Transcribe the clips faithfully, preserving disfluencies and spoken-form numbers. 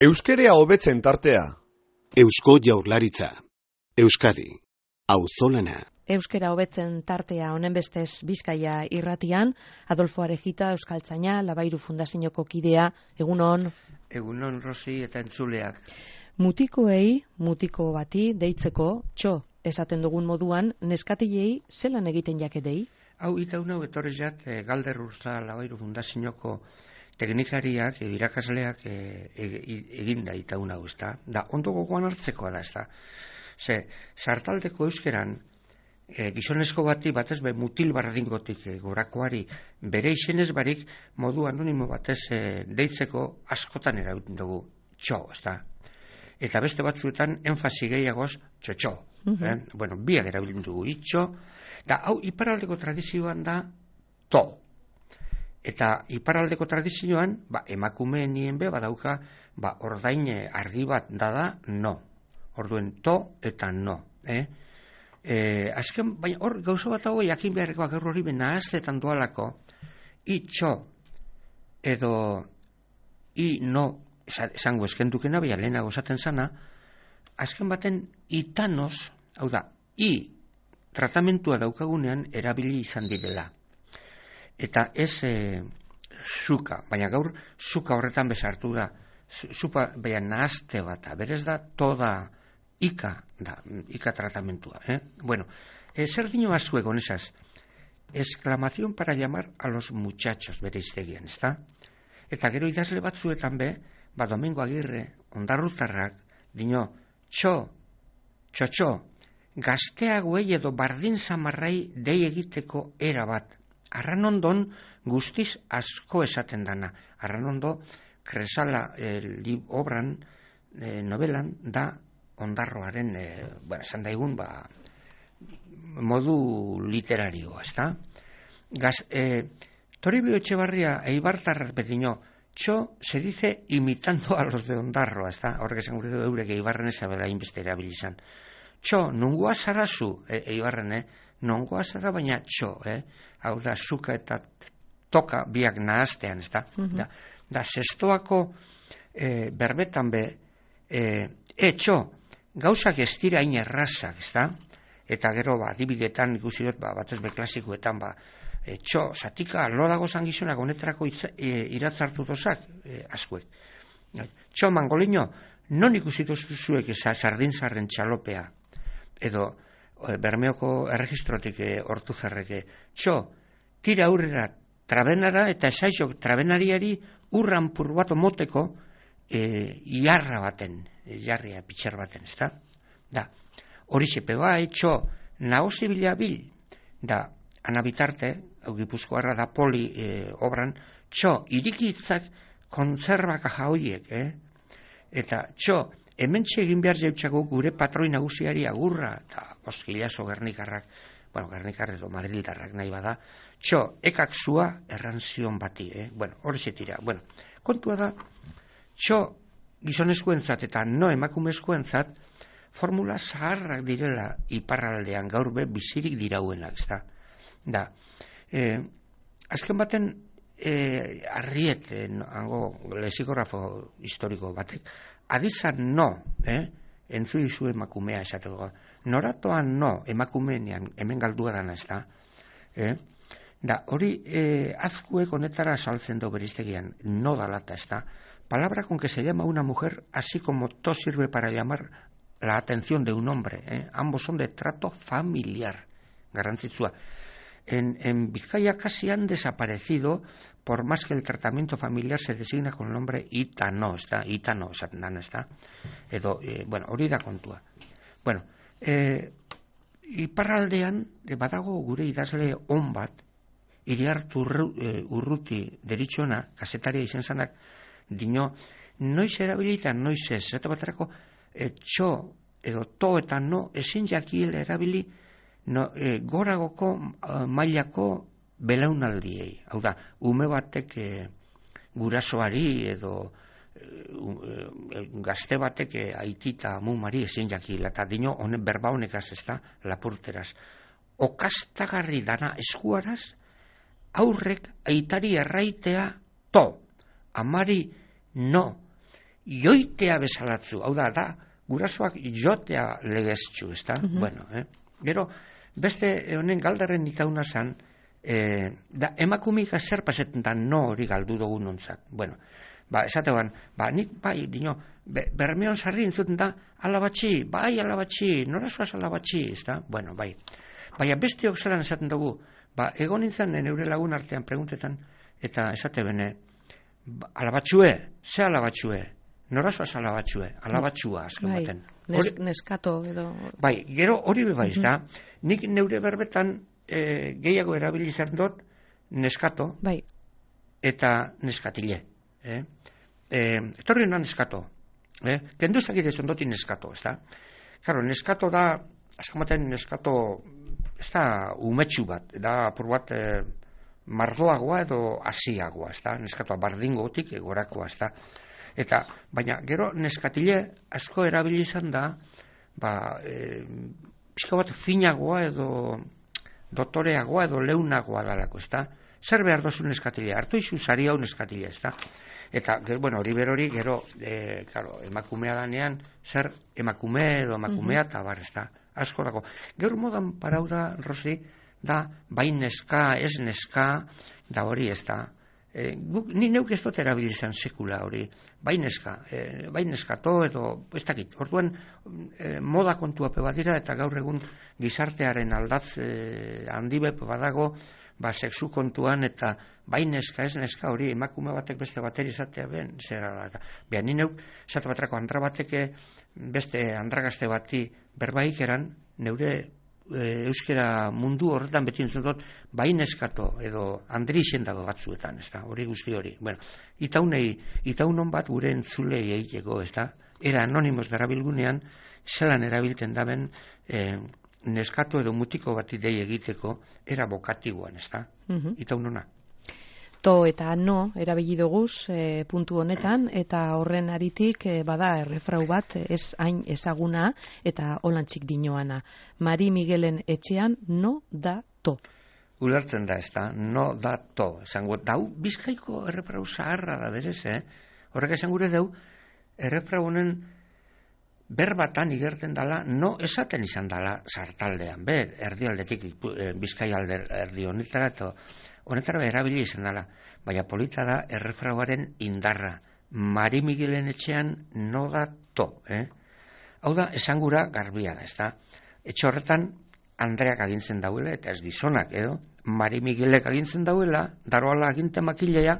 Euskerea hobetzen tartea. Eusko Jaurlaritza. Euskadi. Auzolana. Euskera hobetzen tartea honen bestez Bizkaia irratian, Adolfo Arejita, Euskaltzaina, Labairu Fundazioko kidea, egunon. Egunon, Rosi eta entzuleak. Mutikoei, mutiko bati, deitzeko, txo, esaten dugun moduan, neskatilei zelan egiten jakedei? Hau, itaun hau etorri jat, e, Galder Urza Labairu Fundazioko teknikariak, e, irakasleak e, e, eginda itaun hau, ez da? Da, ondo gogoan hartzekoa da, ez da? Ze, sartaldeko euskeran, e, gizonezko bati batez be mutil barringotik e, gorakoari bere izenez barik modu anonimo batez e, deitzeko askotan erabiltzen dugu txo, ez da? Eta beste batzuetan enfasi gehiagoz txotxo. Mm-hmm. eh? Bueno, biak erabiltzen dugu itxo, da hau iparraldeko tradizioan da to. Eta iparraldeko tradizioan, ba, emakumeen nien be, badauka, ba, ordain argi bat dada, no. Orduen to eta no. Eh? E, azken, baina hor gauza bat dago jakin beharrekoak gaur hori bena aztetan doalako, itxo edo i no, esango eskendukena, baina lehenago esaten zana, azken baten itanos, hau da, i tratamentua daukagunean erabili izan direla. Eta ez e, zuka, baina gaur zuka horretan bezartu da, zupa baina nahazte bat, berez da toda ika, da, ika tratamentua. Eh? Bueno, e, zer dino azuek honesaz, exclamación para llamar a los muchachos bere iztegian, ez da? Eta gero idazle batzuetan be, ba Domingo Agirre, ondarrutarrak, dino, txo, txotxo, gazteagoei edo bardin zamarrai dei egiteko era bat. Arranondon guztiz asko esaten dana. Arranondo, Kresala eh, obran, eh, novelan, da ondarroaren, eh, bueno, esan daigun, ba, modu literarioa, ez da? Gaz, eh, Toribio Etxebarria eibartarrak bedino, txo se dice imitando a los de ondarroa, ez da? Horrek esan gure du eurek eibarren ezabela inbeste erabilizan. Txo, nungoa zarazu, e, eibarren, eh? Nongoa zara baina txo, eh? Hau da, zuka eta toka biak nahaztean, ez da? Mm-hmm. Da, da zestoako e, berbetan be, e, e txo, gauzak ez dira hain errazak, ez da? Eta gero, ba, adibidetan ikusi dut, ba, batez be klasikoetan, ba, e, txo, zatika, lo dago zangizunak, honetarako itza, e, iratzartu dozak, e, askuek. Txo, mangolino, non ikusi dozuzuek eza sardin-zarren txalopea, edo, Bermeoko erregistrotik hortu zerreke. Txo, tira aurrera trabenara eta esaixok trabenariari urran purbato moteko e, iarra baten, jarria pitxer baten, ez da? Da, hori sepeba, txo, nagozi bila bil, da, anabitarte, hau Gipuzkoarra da poli e, obran, txo, irikitzak kontzerbaka jaoiek, eh? Eta, txo, hementxe egin behar jautxako gure patroi nagusiari agurra, eta oskilazo Gernikarrak, bueno, Gernikarrak edo Madrildarrak nahi bada, txo, ekak zua errantzion bati, eh? Bueno, hori zetira. Bueno, kontua da, txo, gizonezkoentzat eta no emakumezkoentzat, formula zaharrak direla iparraldean gaur be bizirik dirauenak, ez da? Da, eh, azken baten, eh, arriet, eh, hango lexikografo historiko batek, adizan no, eh? Entzu dizu emakumea esateko. Noratoan no, emakumeenean, hemen galdua dana ez da. Eh? Da, hori eh, azkuek honetara saltzen do beriztegian, no dalata ez da. Palabra con que se llama una mujer, así como to sirve para llamar la atención de un hombre. Eh? Ambos son de trato familiar, garrantzitsua. En, en Vizcaya casi han desaparecido, por más que el tratamiento familiar se designa con el nombre itano, está, itano, esaten está, edo, eh, bueno, hori da kontua. Bueno, eh, iparraldean, badago gure idazle on bat, Iriartu eh, Urruti deritxona, kasetaria izen zanak, dino, noiz erabilita, noiz ez, eta baterako, eh, txo, edo to eta no, ezin jakiel erabili, no, e, goragoko uh, mailako belaunaldiei. Hau da, ume batek e, gurasoari edo e, gazte batek e, aitita mumari ezin jakila, eta dino honen berba honekaz ez da, lapurteraz. Okastagarri dana eskuaraz, aurrek aitari erraitea to, amari no, joitea bezalatzu, hau da, da, gurasoak jotea legeztxu, ez da? Mhm. Bueno, eh? Gero, beste honen galdarren itauna zan, eh, da, emakumik zer pasetan da no hori galdu dugu nontzat. Bueno, ba, esatean, ba, nik, bai, dino, be, bermeon sarri entzuten da, alabatxi, bai, alabatxi, nora zoaz alabatxi, ez da? Bueno, bai. Baina besteok zelan esaten dugu, ba, egon nintzen neure lagun artean preguntetan, eta esate bene, ba, alabatxue, ze alabatxue? Nora zoaz alabatxue? Alabatxua, azken bai, baten. nes, Hori- neskato edo... Bai, gero hori be baiz da. Nik neure berbetan e, gehiago erabili izan dut neskato Bai, eta neskatile. Eh? E, etorri hona neskato. Eh? Kendu zakite zondoti neskato, ez da? Claro, neskato da, azkamaten neskato, ez da umetxu bat, da apur bat e, mardoagoa edo asiagoa, ez da? Neskatoa bardingotik gorakoa, ez da? Eta, baina, gero neskatile asko erabili izan da, ba, e, pixka bat finagoa edo dotoreagoa edo leunagoa dalako, ez da? Zer behar dozu neskatilea? Hartu izu sari hau neskatilea, ez da? Eta, gero, bueno, hori berori, gero, e, claro, emakumea danean, zer emakume edo emakumea, eta bar, ez da? Asko dago. Gero modan parau da, Rosi, da, bai neska, ez neska, da hori, ez da? E, guk, ni neuk ez dut erabili izan sekula hori, bai neska, e, bai neskato edo, ez dakit, orduan e, moda kontuape badira eta gaur egun gizartearen aldatz e, handi bep badago, ba, sexu kontuan eta bai neska, ez neska hori, emakume batek beste bateri izatea ben, zera da. Beha, ni neuk, esate batrako andra bateke beste andragazte bati berbaik eran, neure e, euskera mundu horretan beti entzun dut, bai neskato edo andri izen dago batzuetan, ez da, hori guzti hori. Bueno, itaunei, itaunon bat gure entzulei egiteko, ez da, era anonimos darabilgunean, zelan erabilten daben e, neskato edo mutiko bati dei egiteko, era bokatiboan, ez da, Mhm. itaunona. To eta no erabili doguz e, puntu honetan, eta horren aritik e, bada errefrau bat ez hain ezaguna eta holantzik dinoana. Mari Miguelen etxean no da to. Ulertzen da, ez da, no da to. Esango, dau, bizkaiko errefrau zaharra da berez, eh? Horrek esan gure dau, errefrau honen berbatan igerten dala, no esaten izan dala sartaldean, be, erdialdetik, eh, bizkai alde erdi honetara, eta honetara erabili izan dala. Baina polita da errefrauaren indarra. Mari Miguelen etxean no da to, eh? Hau da, esangura garbia da, ez da? Etxe horretan, Andreak agintzen dauela, eta ez gizonak, edo? Mari Miguelek agintzen dauela, daroala aginte makilea,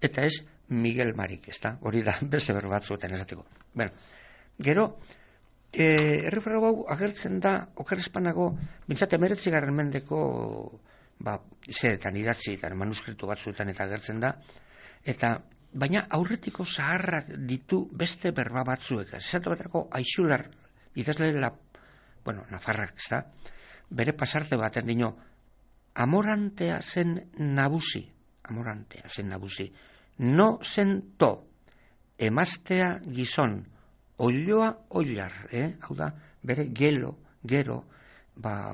eta ez Miguel Marik, ez da? Hori da, beste berro batzuetan esateko. Bueno, gero, e, errefrau hau agertzen da, okerrespanago, bintzat emeretzigarren mendeko, ba, zeretan idatzi, eta manuskriptu batzuetan eta agertzen da, eta, baina aurretiko zaharrak ditu beste berba batzuek. Esatu baterako Aixular, idazle la, bueno, Nafarrak, ez da? Bere pasarte baten dino, amorantea zen nabusi, amorantea zen nabusi, no zen to, emaztea gizon, oiloa oilar, eh? Hau da, bere gelo, gero, ba,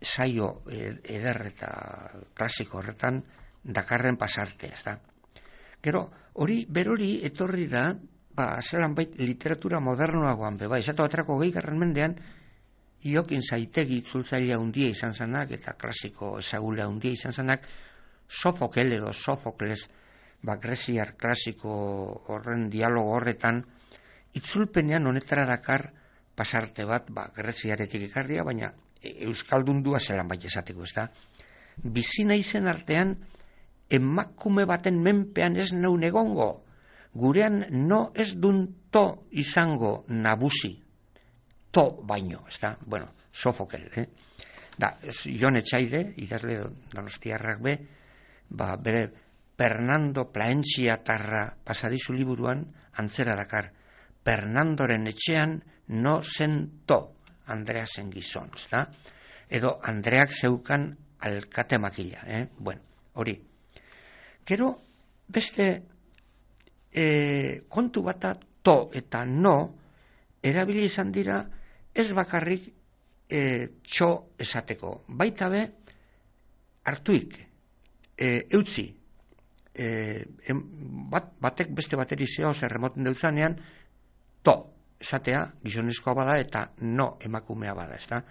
saio eder eta klasiko horretan dakarren pasarte, ez da? Gero, hori, berori etorri da, ba, zelan bait literatura modernoagoan beba, esatu baterako gehigarren mendean, Iokin Zaitegi itzultzailea hundia izan zanak, eta klasiko ezagulea hundia izan zanak, Sofokel edo Sofokles, ba, greziar klasiko horren dialogo horretan, itzulpenean honetara dakar pasarte bat, ba, greziaretik ikarria, baina euskaldundua zelan bait esateko, ez da? Bizina izen artean, emakume baten menpean ez naun egongo, gurean no ez dun to izango nabusi, to baino, ez da? Bueno, Sofokel, eh? Da, Jon Etxaide, idazle donostiarrak be, ba, bere Fernando Plaentziatarra pasadizu liburuan antzera dakar, Fernandoren etxean no zen to, Andrea zen gizon, ez da? Edo Andreak zeukan alkate makila, eh? Bueno, hori. Gero, beste e, kontu bata to eta no, erabili izan dira ez bakarrik e, txo esateko. Baita be, hartuik, e, eutzi, e, em, bat, batek beste bateri zeo zer remoten deutzanean, to, esatea, gizonezkoa bada eta no emakumea bada, ezta?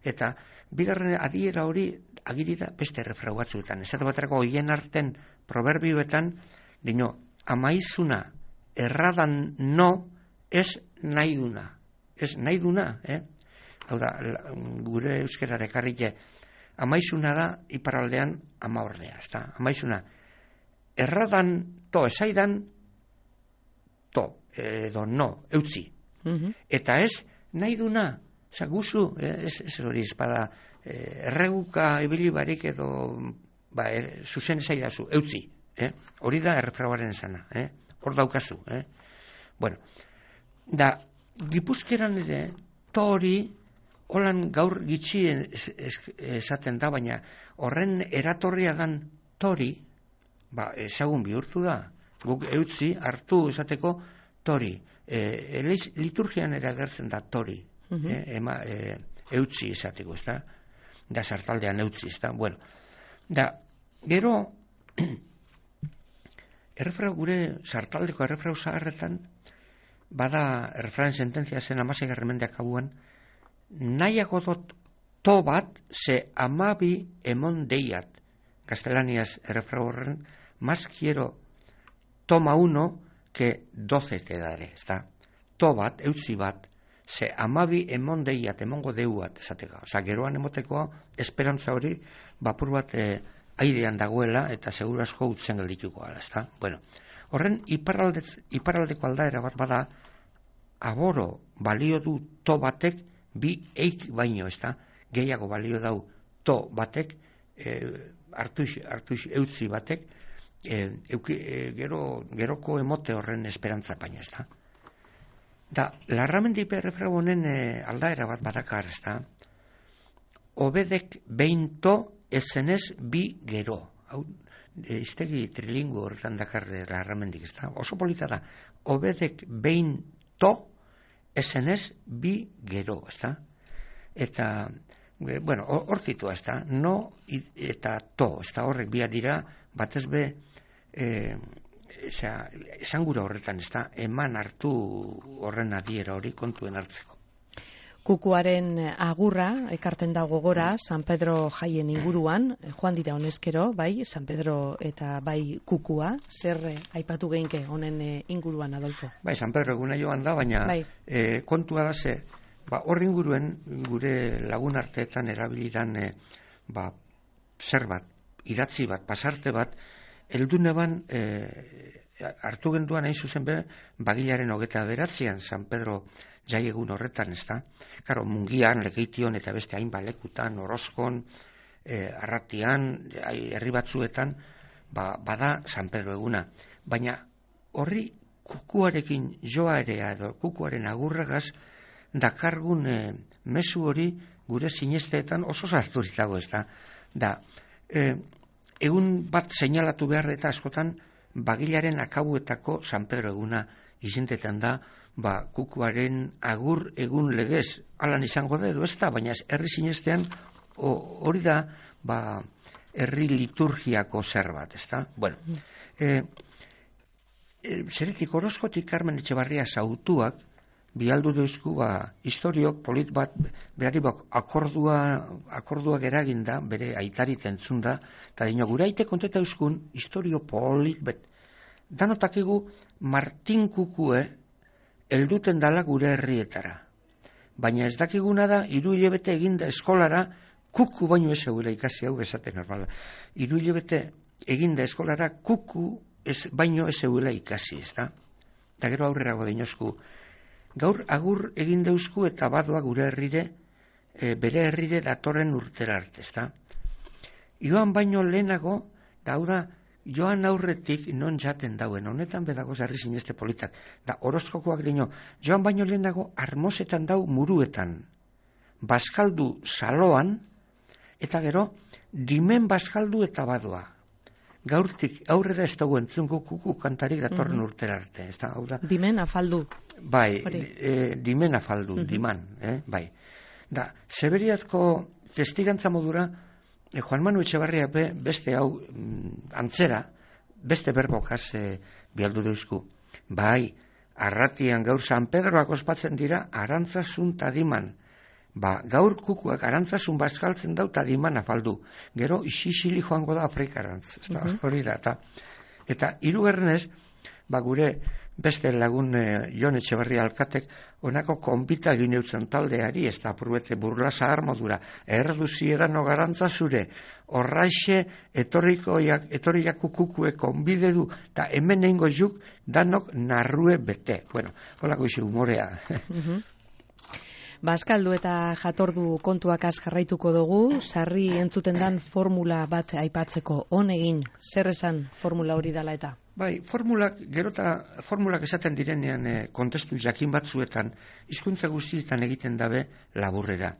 Eta bigarren adiera hori agiri da beste errefrau batzuetan. Esate baterako hoien arten proverbioetan, dino, amaizuna erradan no, ez nahi duna. Ez nahi duna, eh? Hau da, gure euskerare karrike, amaizuna da iparraldean ama ordea, ezta? Amaizuna, erradan to esaidan, to, edo no, eutzi. Mhm. Eta ez, nahi duna, oza, guzu, ez, ez hori espada, erreguka ibili barik edo, ba, er, zuzen esaidazu, eutzi. Eh? Hori da errefrauaren esana, eh? Hor daukazu, eh? Bueno, da, Gipuzkeran ere, to hori, holan gaur gitxi es, es, esaten da, baina horren eratorria dan tori, ba, ezagun bihurtu da. Guk eutzi hartu esateko tori. E, liturgian ere agertzen da tori. Uh-huh. e, ema, e, eutzi esateko, ez da? Da sartaldean eutzi, ez da? Bueno, da, gero, errefrau gure sartaldeko errefrau zaharretan, bada errefrauen sententzia zen amaseigarren mendeak abuan, nahiago dot to bat ze amabi emon deiat. Gaztelaniaz errefrau horren, más quiero toma uno que doce te daré, ezta? To bat, eutzi bat, ze amabi emon deiat, emongo deuat, esateka. Osa, geroan emoteko esperantza hori, bapur bat eh, aidean dagoela, eta seguru asko utzen geldituko ala, ezta? Bueno, horren iparralde, iparraldeko aldaera bat bada, aboro balio du to batek bi eit baino, ezta? Gehiago balio dau to batek, eh, hartuix, hartuix eutzi batek, eh, euki, eh, gero, geroko emote horren esperantza baino, ezta? Da, larramendipe errefrau honen eh, aldaera bat badakar, ezta? Obedek behin to esenez bi gero. Hau, e, iztegi trilingu horretan dakar larramendik, ezta? Oso polita da. Obedek behin to esenez bi gero, ezta? Eta, e, bueno, hortitua, ezta? No eta to, ezta? Horrek bia dira, batez be, e, eza, esan gura horretan, ezta? Eman hartu horren adiera hori kontuen hartzeko. Kukuaren agurra ekarten da gogora San Pedro jaien inguruan, joan dira honezkero, bai, San Pedro eta bai kukua, zer eh, aipatu geinke honen eh, inguruan, Adolfo? Bai, San Pedro eguna joan da, baina bai. eh, kontua da ze, ba, horri inguruen gure lagun arteetan erabilidan eh, ba, zer bat, idatzi bat, pasarte bat, elduneban eh, hartu genduan hain zuzen be, bagilaren hogeta beratzean San Pedro jai egun horretan, ez da? Karo, Mungian, Lekeition eta beste hainbat lekutan, Orozkon, eh, Arratian, herri batzuetan, ba, bada San Pedro eguna. Baina horri kukuarekin joa ere, edo kukuaren agurragaz, dakargun eh, mezu hori gure sinesteetan oso sarturik dago, ez da? Da, eh, egun bat seinalatu behar eta askotan, bagilaren akabuetako San Pedro eguna izentetan da, ba, kukuaren agur egun legez, alan izango da edo ez da, baina herri sinestean hori da, ba, herri liturgiako zer bat, ez da? Bueno, e, e, zeretik Orozkotik Carmen Etxebarria zautuak, bialdu deuzku, ba, historiok polit bat, berari bak, akordua, akorduak eragin da, bere aitarit entzun da, eta dino, gure aite konteta euskun, historio polit, bet, danotakigu Martin Kukue, elduten dala gure herrietara. Baina ez dakiguna da, hiru hilabete eginda eskolara, kuku baino ez eguela ikasi hau esate normala. Hiru hilabete eginda eskolara, kuku ez, baino ez eguela ikasi, ez da? Eta gero aurrera godinozku. Gaur agur egin deuzku eta badoa gure herrire, e, bere herrire datorren urtera arte, ez da? Joan baino lehenago, da hau da, joan aurretik non jaten dauen, honetan bedagoz herri sineste politak, da Orozkokoak dino, joan baino lehenago armosetan dau muruetan, bazkaldu saloan, eta gero, dimen bazkaldu eta badoa. Gaurtik aurrera ez dago entzunko kuku kantarik datorren mm-hmm. urtera arte. Ez da, hau da? Dimen afaldu. Bai, e, dimen afaldu, mm-hmm. diman, eh? Bai. Da, Seberiazko testigantza modura, E, Juan Manu Etxebarria be, beste hau mm, antzera, beste berbokaz e, bialdu deuzku. Bai, arratian gaur San Pedroak ospatzen dira arantzasun tadiman. Ba, gaur kukuak arantzasun bazkaltzen dau tadiman afaldu. Gero isisili joango da Afrikarantz. Ez da, hori da, eta, eta hirugarrenez, ba, gure beste lagun e, Jon Etxeberria alkatek honako konbita egin eutzen taldeari, ez da apurbete burlasa armodura, erduzi edano garantza zure, horraixe etorrikoiak, etorriak kukukue konbide du, eta hemen eingo juk danok narrue bete. Bueno, holako izi humorea. Bazkaldu eta jatordu kontuak az jarraituko dugu, sarri entzuten dan formula bat aipatzeko, honegin, zer esan formula hori dala eta? Bai, formulak, gerota formulak esaten direnean e, kontestu jakin batzuetan, hizkuntza guztietan egiten dabe laburrera.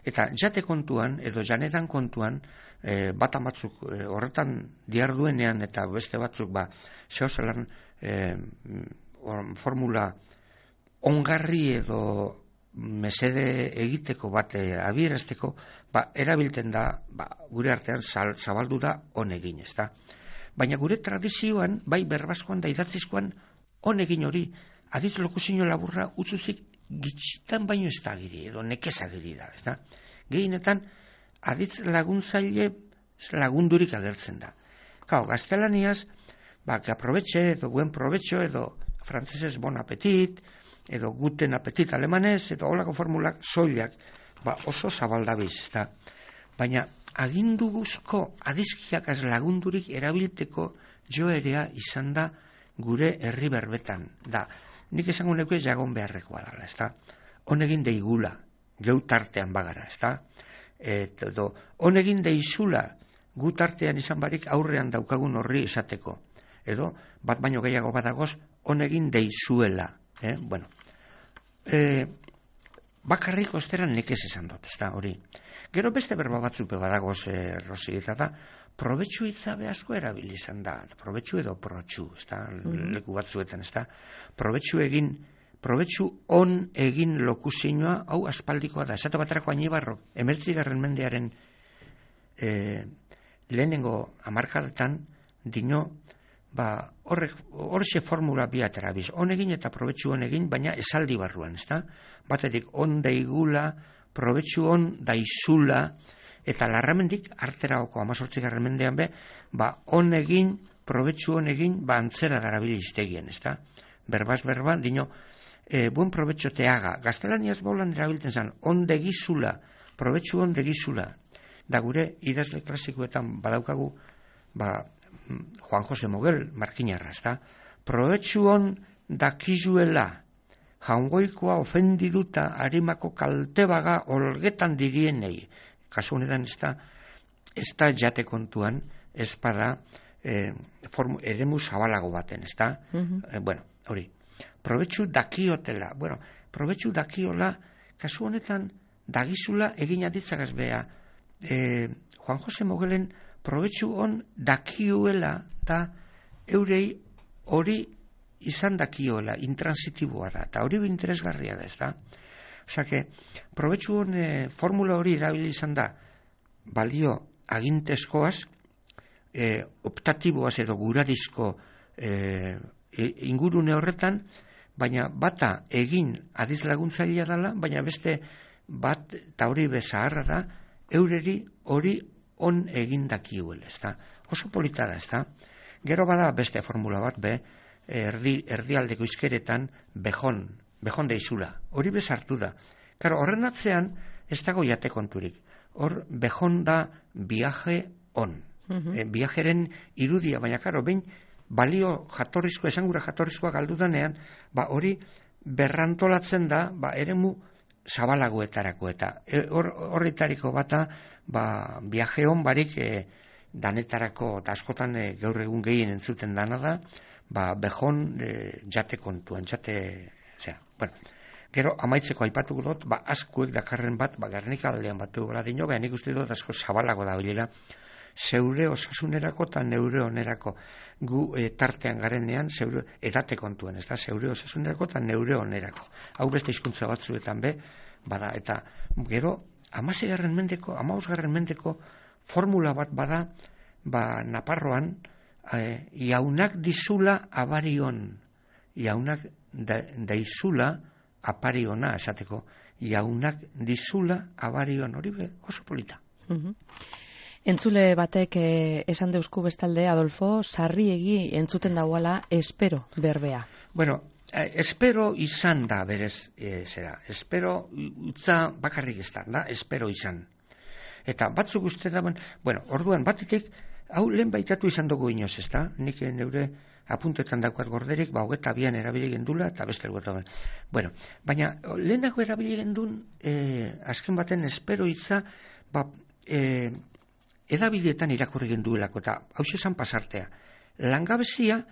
Eta jate kontuan, edo janeran kontuan, e, bat amatzuk e, horretan diarduenean eta beste batzuk, ba, zehozelan e, formula ongarri edo mesede egiteko bat e, abierazteko, ba, erabilten da, ba, gure artean zal, zabaldu da honegin, ez da. Baina gure tradizioan, bai berbaskoan da idatzizkoan, honegin hori, aditz lokuzio laburra utzuzik gitxitan baino ez da agiri, edo nekez agiri da, ez da. Gehienetan, aditz laguntzaile lagundurik agertzen da. Kau, gaztelaniaz, ba, que aprobetxe, edo buen provecho, edo frantzesez bon apetit, edo guten apetit alemanez, edo holako formulak soilak, ba, oso zabaldabiz, ez da. Baina, agindu guzko adizkiak az lagundurik erabilteko joerea izan da gure herri berbetan. Da, nik esango neko ez jagon beharrekoa dala, ez da. Honegin deigula, geu tartean bagara, ez da. Edo, honegin deizula, gu tartean izan barik aurrean daukagun horri esateko. Edo, bat baino gehiago badagoz, honegin deizuela. Eh? Bueno, e, bakarrik osteran nekez esan dut, ez da, hori. Gero beste berba batzuk badagoz, e, Rosi, eta da, probetxu itzabe asko erabili izan da, probetxu edo protxu, ez da, mm-hmm. leku batzuetan, ez da, probetxu egin, probetxu on egin lokuzioa, hau aspaldikoa da, esate baterako Añibarro, emertzigarren mendearen e, lehenengo hamarkadetan, dino, ba, horrek, horxe formula biat erabiz, on egin eta probetxu on egin, baina esaldi barruan, ez da, baterik on deigula, probetxu on daizula, eta larramendik, arteraoko amazortzigarren mendean be, ba, on egin, probetxu on egin, ba, antzera darabili iztegien, ez da? Berbaz berba, dino, e, buen probetxo te haga. Gaztelaniaz baulan erabilten zan, on degizula, probetxu on degizula. Da gure, idazle klasikoetan badaukagu, ba, Juan Jose Mogel, markinarra, ez da? Probetxu on dakizuela, jaungoikoa ofendiduta harimako kaltebaga olgetan dirienei. Kasu honetan ez da, ez da jate kontuan, ez bada e, eremu zabalago baten, ez da? Uh-huh. E, bueno, hori. Probetxu dakiotela. Bueno, probetxu dakiola, kasu honetan dagizula egin aditzagaz beha. E, Juan Jose Mogelen probetxu on dakiuela da eurei hori izan dakiola, intransitiboa da, eta hori interesgarria da, ez da? Osa que, probetxu hon e, formula hori erabili izan da, balio agintezkoaz, e, optatiboaz edo guradizko e, ingurune horretan, baina bata egin adiz laguntzailea dela, baina beste bat, eta hori bezaharra da, eureri hori on egin dakiuela, ez da? Oso polita da, ez da? Gero bada beste formula bat, be, erdi, erdialdeko izkeretan bejon, bejon deizula. Hori bezartu da. Karo, horren atzean ez dago jate konturik. Hor bejon da viaje on. Uh-huh. E, viajeren irudia, baina karo, behin balio jatorrizko, esangura jatorrizkoa galdu danean, ba hori berrantolatzen da, ba eremu zabalagoetarako eta horretariko bata, ba viaje on barik e, danetarako, eta askotan e, gaur egun gehien entzuten dana da, ba, bejon e, jate kontuan, jate, zera, bueno, gero amaitzeko aipatuko dut, ba, askuek dakarren bat, ba, Gernika aldean batu gara dino, beha nik uste dut asko zabalago da bilera, zeure osasunerako eta neure onerako, gu e, tartean garenean, zeure edate kontuen, ez da, zeure osasunerako eta neure onerako. Hau beste hizkuntza batzuetan be, bada, eta gero, amasegarren mendeko, amausgarren mendeko formula bat bada, ba, Naparroan, eh, jaunak dizula abarion, jaunak da, daizula apariona esateko, jaunak dizula abarion, hori be, oso polita. Mhm. Entzule batek eh, esan deusku bestalde, Adolfo, sarriegi entzuten dauala espero berbea. Bueno, eh, espero izan da berez, eh, zera, espero utza bakarrik ez da, da, espero izan. Eta batzuk uste da, bueno, orduan batetik, hau lehen baitatu izan dugu inoz, ez da? Nik neure apuntetan daukat gorderik, ba, hogeta bian erabili gendula, eta beste elgota. Bueno, baina lehenago erabili gendun, eh, azken baten espero hitza, ba, eh, edabideetan irakurri genduelako, eta hau esan pasartea. Langabezia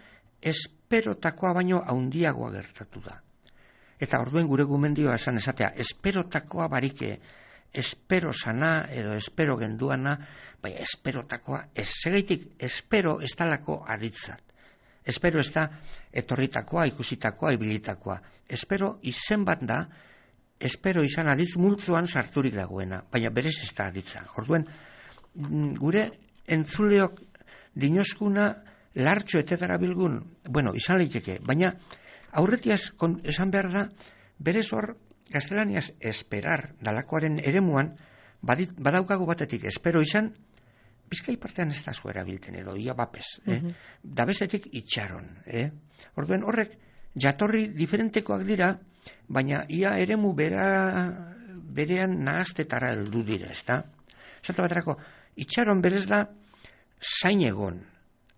esperotakoa baino haundiagoa gertatu da. Eta orduen gure gumendioa esan esatea, esperotakoa barike, espero sana edo espero genduana, bai, esperotakoa, ez segaitik, espero ez talako aditzat. Espero ez da etorritakoa, ikusitakoa, ibilitakoa. Espero izen bat da, espero izan aditz multzoan sarturik dagoena, baina berez ez da aditza. Orduen, gure entzuleok dinoskuna lartxo etetara bilgun, bueno, izan leiteke, baina aurretiaz esan behar da, berez hor, gaztelaniaz esperar dalakoaren eremuan, badit, badaukagu batetik espero izan, Bizkai partean ez da zuera bilten edo, ia bapes, eh? Uh-huh. Da bestetik itxaron. Eh? Orduen horrek jatorri diferentekoak dira, baina ia eremu bera, berean nahaztetara heldu dira, ez da? Zata baterako, itxaron berez da zain egon.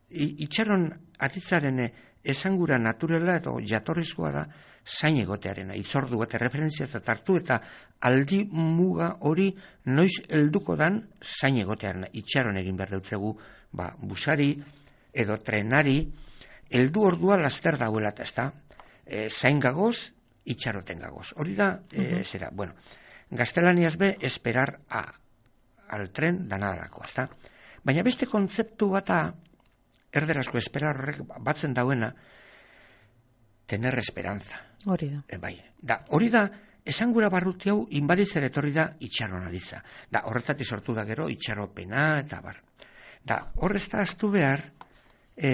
I, itxaron atitzaren esangura naturela edo jatorrizkoa da zain egotearena, itzordu eta referentzia eta tartu eta aldi muga hori noiz helduko dan zain egotearena. Itxaron egin behar dutzegu, ba, busari edo trenari, heldu ordua laster dauela eta ez da, e, zain gagoz, itxaroten gagoz. Hori da, e, uh-huh. zera, bueno, gaztelaniaz be, esperar a, al tren danadalako, ez da. Baina beste kontzeptu bata, erderazko esperar horrek batzen dauena, tener esperanza. Hori da. E, bai. Da, hori da, esangura barruti hau inbaditzer etorri da itxaron adiza. Da, horretatik sortu da gero itxaropena eta bar. Da, horrez da aztu behar, e,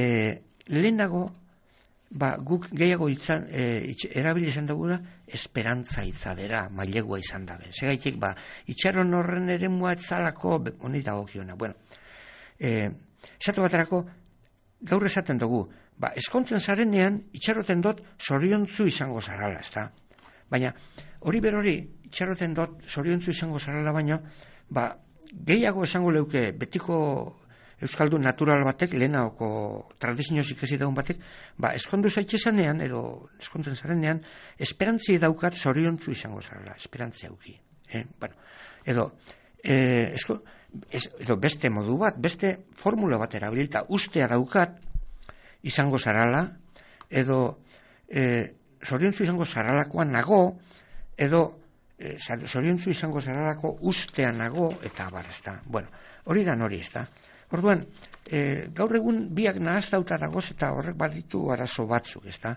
lehenago, ba, guk gehiago itzan, e, itx, erabili izan dugula, esperantza itzadera, mailegua izan dabe. Segaitik, ba, itxaron horren ere mua etzalako, honi dagokiona. Bueno, e, esatu baterako, gaur esaten dugu, ba, eskontzen zarenean, itxaroten dut zoriontzu izango zarala, ez da? Baina, hori berori, itxaroten dut zoriontzu izango zarala, baina, ba, gehiago esango leuke, betiko euskaldun natural batek, lehenaoko tradizioz ikasi daun batek, ba, eskondu zaitxezanean, edo eskontzen zarenean, esperantzi daukat zoriontzu izango zarala, esperantzi auki. Eh? Bueno, edo, eh, esko, Ez, edo beste modu bat, beste formula bat erabilita, ustea daukat izango zarala, edo e, zoriontzu izango zaralakoan nago, edo e, zoriontzu izango zaralako ustea nago, eta abar, ez da. Bueno, hori da nori, ez da. Orduan, e, gaur egun biak nahaztauta dagoz, eta horrek baditu arazo batzuk, ez da.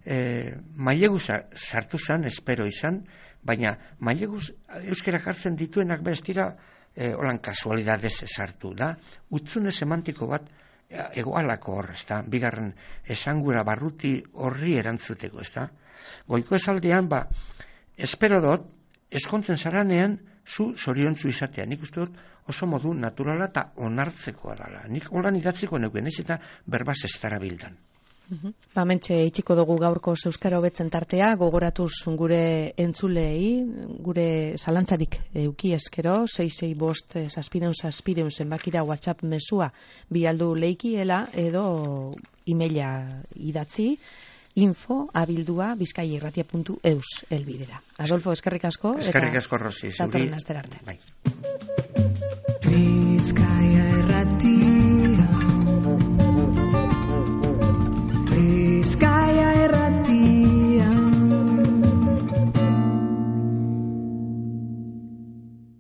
E, maileguz sartu zan, espero izan, baina maileguz euskera jartzen dituenak bestira, E, holan kasualidadez sartu da, utzune semantiko bat egoalako hor, ez da, bigarren esangura barruti horri erantzuteko, ez da. Goiko esaldean, ba, espero dut, eskontzen zaranean, zu zoriontzu izatea. Nik uste dut oso modu naturala eta onartzekoa dela. Nik holan idatziko neuken, ez eta berbaz ez dara bildan. Uh-huh. Ba, mentxe, itxiko dugu gaurko euskara hobetzen tartea, gogoratuz gure entzulei, gure zalantzarik euki eskero, sei sei bost, saspireun, saspireun, zenbakira WhatsApp mesua bialdu leikiela, edo emaila idatzi, info abildua bizkaiirratia puntu eus elbidera. Adolfo, eskerrik asko. Eskerrik asko, Rosi. Datorren astera arte. Bai. Bizkaia irratia